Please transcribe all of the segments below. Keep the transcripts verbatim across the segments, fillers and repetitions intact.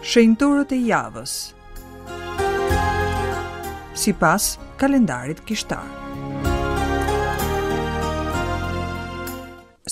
Shenjtorët e javës sipas kalendarit kishtar.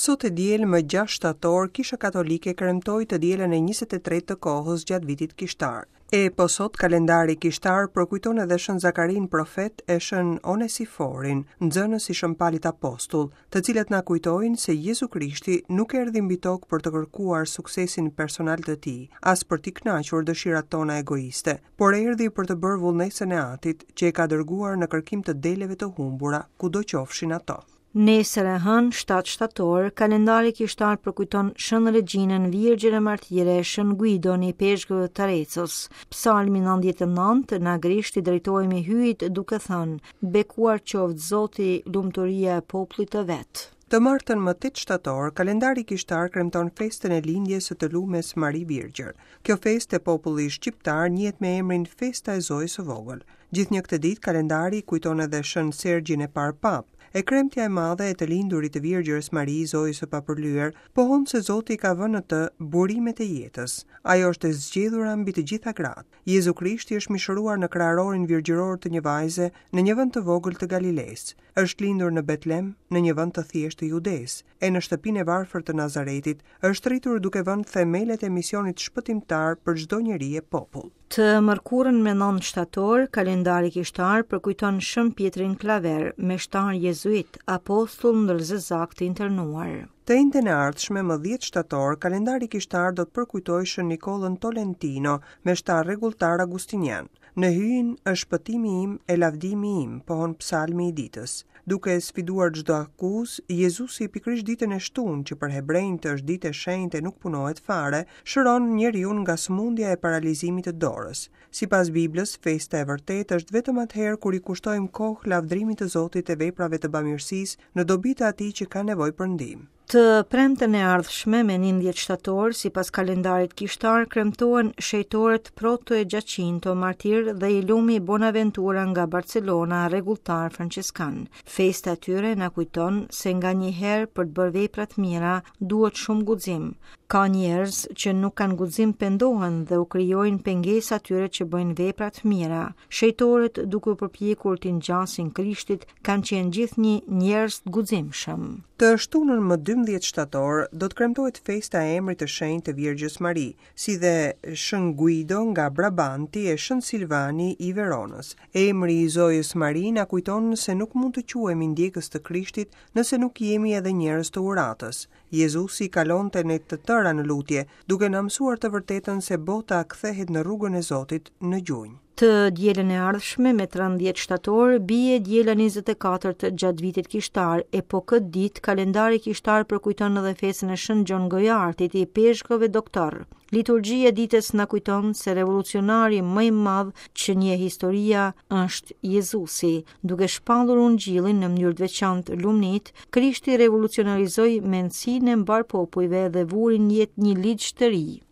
Sot e diel më gjashtë shtator, Kisha Katolike kremtoi të dielën e njëzet e tretë të kohës gjatë vitit kishtar. E po sot kalendari kishtar përkujton edhe Shën Zakarin profet e Shën Onesiforin, nxënës i Shën Palit Apostull, të cilët na kujtojnë se Jezu Krishti nuk erdhi mbi tokë për të kërkuar suksesin personal të tij, as për t'i kënaqur dëshirat tona egoiste, por erdhi për të bërë vullnesën e Atit, që e ka dërguar në kërkim të deleve të humbura, kudo qofshin ato. Nesër e hënë, shtatë shtator, kalendari kishtar përkujton Shën Regjinën Virgjër e Martire, Shën Guidon i Peshkëve të Arecos. Psalmi nëntëdhjetë e nëntë, në grisht i drejtohemi Hyjit duke thënë: Bekuar qoftë Zoti, lumturia e popullit të vet. Të martën më tetë shtator, kalendari kishtar kremton festën e lindjes së të lumes Mari Virgjër. Kjo festë e popullit shqiptar njihet me emrin Festa e Zojës së Vogël. Gjithnjë këtë ditë kalendari kujton edhe Shën Sergjin e parë Pap. E kremtja e madhe e të lindurit të Virgjërës Mari, Zojës së papërlyer, pohon se Zoti ka vënë në të burimet e jetës. Ajo është e zgjedhura mbi të gjitha gratë. Jezu Krishti është mishëruar në kraharorin virgjëror të një vajze në një vend të vogël të Galilesë. Është lindur në Betlem, në një vend të thjeshtë të Judesë, e në shtëpinë e varfër të Nazaretit është rritur duke vënë themelet e misionit shpëtimtar për çdo njeri e popull. Të mërkurën me nëntë shtator, kalendari kishtar përkujton Shën Pietrin Klaver, meshtar jezuit, apostull ndër zezak të internuar. Të enjten e ardhshme, më dhjetë shtator, kalendari kishtar do të përkujtojë Shën Nikollën Tolentino, meshtar rregulltar agustinian. Në hyjin është shpëtimi im e lavdimi im, pohon psalmi i ditës. Duke sfiduar çdo akuzë, Jezusi pikërisht ditën e shtunë, që për hebrejt është ditë e shenjtë e nuk punohet fare, shëron njeriu nga sëmundja e paralizimit të dorës. Sipas Biblës, festa e vërtetë është vetëm atëherë kur i kushtojmë kohë lavdrimit të Zotit e veprave të bamirësisë në dobi të atij që ka nevojë për ndihmë. Të premten e ardhshme me njëmbëdhjetë shtator, sipas kalendarit kishtar, kremtohen shejtorët Proto e Giacinto, martir dhe i lumi Bonaventura nga Barcelona, rregulltar franceskan. Festa e tyre na kujton se nga një herë për të bërë vepra të mira duhet shumë guxim. Ka njerëz që nuk kanë guxim pendohen dhe u krijojnë pengesa atyre që bëjnë vepra të mira. Shejtorët, duke u përpjekur t'i ngjasin Krishtit, kanë qenë gjithnjë njerëz të guximshëm. Të shtunën më dymbëdhjetë shtator do të kremtohet festa e emrit të shenjtë të Virgjës Mari, si dhe Shën Guido nga Brabanti e Shën Silvani i Veronës. Emri i Zojës Mari na kujton se nuk mund të quhemi ndjekës të Krishtit nëse nuk jemi edhe njerëz të uratës. Jezusi kalonte ne të tëra në lutje, duke na mësuar të vërtetën se bota kthehet në rrugën e Zotit në gjunjë. Të dielën e ardhshme me trembëdhjetë shtator bie diela njëzet e katërt gjatë vitit kishtar, e po këtë ditë kalendari kishtar përkujton edhe festën e Shën Gjon Gojartit, i peshkove doktor. Liturgjia e ditës na kujton se revolucionari më i madh që njeh historia është Jezusi. Duke shpallur ungjillin në mënyrë të veçantë lumnit, Krishti revolucionarizoi mendësinë e mbar popujve dhe vuri në jetë një ligj të ri.